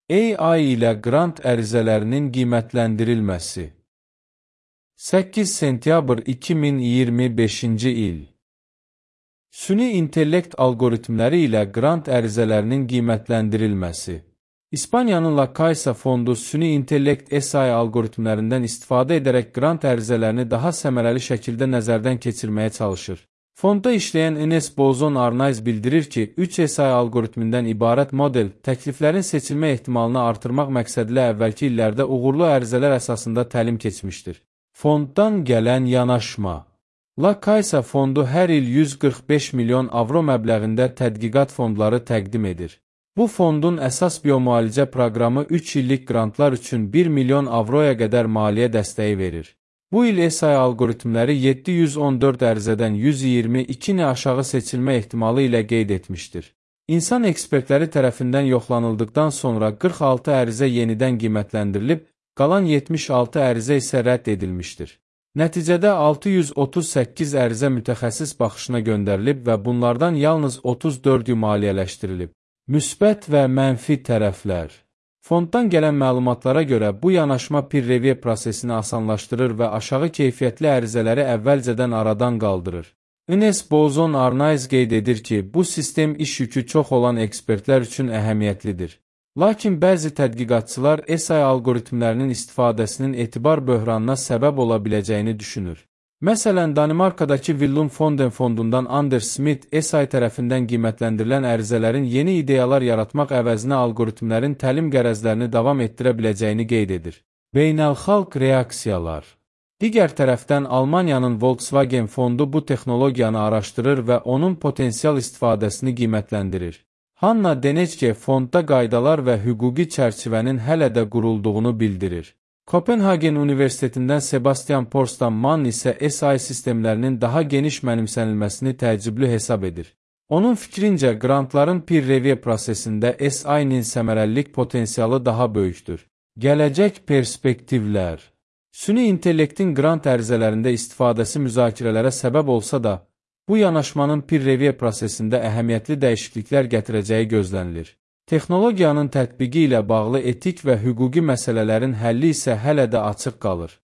AI ilə qrant ərizələrinin qiymətləndirilməsi. 8 sentyabr 2025-ci il. Süni intellekt algoritmləri ilə qrant ərizələrinin qiymətləndirilməsi. İspaniyanın La Caixa fondu süni intellekt SI algoritmlərindən istifadə edərək qrant ərizələrini daha səmərəli şəkildə nəzərdən keçirməyə çalışır. Fondda işləyən Enes Bozon Arnaiz bildirir ki, 3 SI algoritmindən ibarət model təkliflərin seçilmə ehtimalını artırmaq məqsədilə əvvəlki illərdə uğurlu ərizələr əsasında təlim keçmişdir. Fonddan gələn yanaşma. La Caixa fondu hər il 145 milyon avro məbləğində tədqiqat fondları təqdim edir. Bu fondun əsas biomualicə proqramı 3 illik qrantlar üçün 1 milyon avroya qədər maliyyə dəstəyi verir. Bu il SI algoritmləri 714 ərizədən 122-ni aşağı seçilmə ehtimalı ilə qeyd etmişdir. İnsan ekspertləri tərəfindən yoxlanıldıqdan sonra 46 ərizə yenidən qiymətləndirilib, qalan 76 ərizə isə rədd edilmişdir. Nəticədə 638 ərizə mütəxəssis baxışına göndərilib və bunlardan yalnız 34-ü maliyyələşdirilib. Müsbət və mənfi tərəflər. Fonddan gələn məlumatlara görə bu yanaşma peer review prosesini asanlaşdırır və aşağı keyfiyyətli ərizələri əvvəlcədən aradan qaldırır. Enes Bozon Arnaiz qeyd edir ki, bu sistem iş yükü çox olan ekspertlər üçün əhəmiyyətlidir. Lakin bəzi tədqiqatçılar SI algoritmlərinin istifadəsinin etibar böhranına səbəb ola biləcəyini düşünür. Məsələn, Danimarkadakı Willum Fonden fondundan Anders Smith SI tərəfindən qiymətləndirilən ərizələrin yeni ideyalar yaratmaq əvəzinə algoritmlərin təlim qərəzlərini davam etdirə biləcəyini qeyd edir. Beynəlxalq reaksiyalar. Digər tərəfdən Almaniyanın Volkswagen fondu bu texnologiyanı araşdırır və onun potensial istifadəsini qiymətləndirir. Hanna Denecke fondda qaydalar və hüquqi çərçivənin hələ də qurulduğunu bildirir. Kopenhagen Universitetindən Sebastian Porstan Mann isə SI sistemlərinin daha geniş mənimsənilməsini təəccüblü hesab edir. Onun fikrincə, qrantların peer review prosesində SI-nin səmərəlilik potensialı daha böyükdür. Gələcək perspektivlər. Süni intellektin qrant ərizələrində istifadəsi müzakirələrə səbəb olsa da, bu yanaşmanın peer review prosesində əhəmiyyətli dəyişikliklər gətirəcəyi gözlənilir. Texnologiyanın tətbiqi ilə bağlı etik və hüquqi məsələlərin həlli isə hələ də açıq qalır.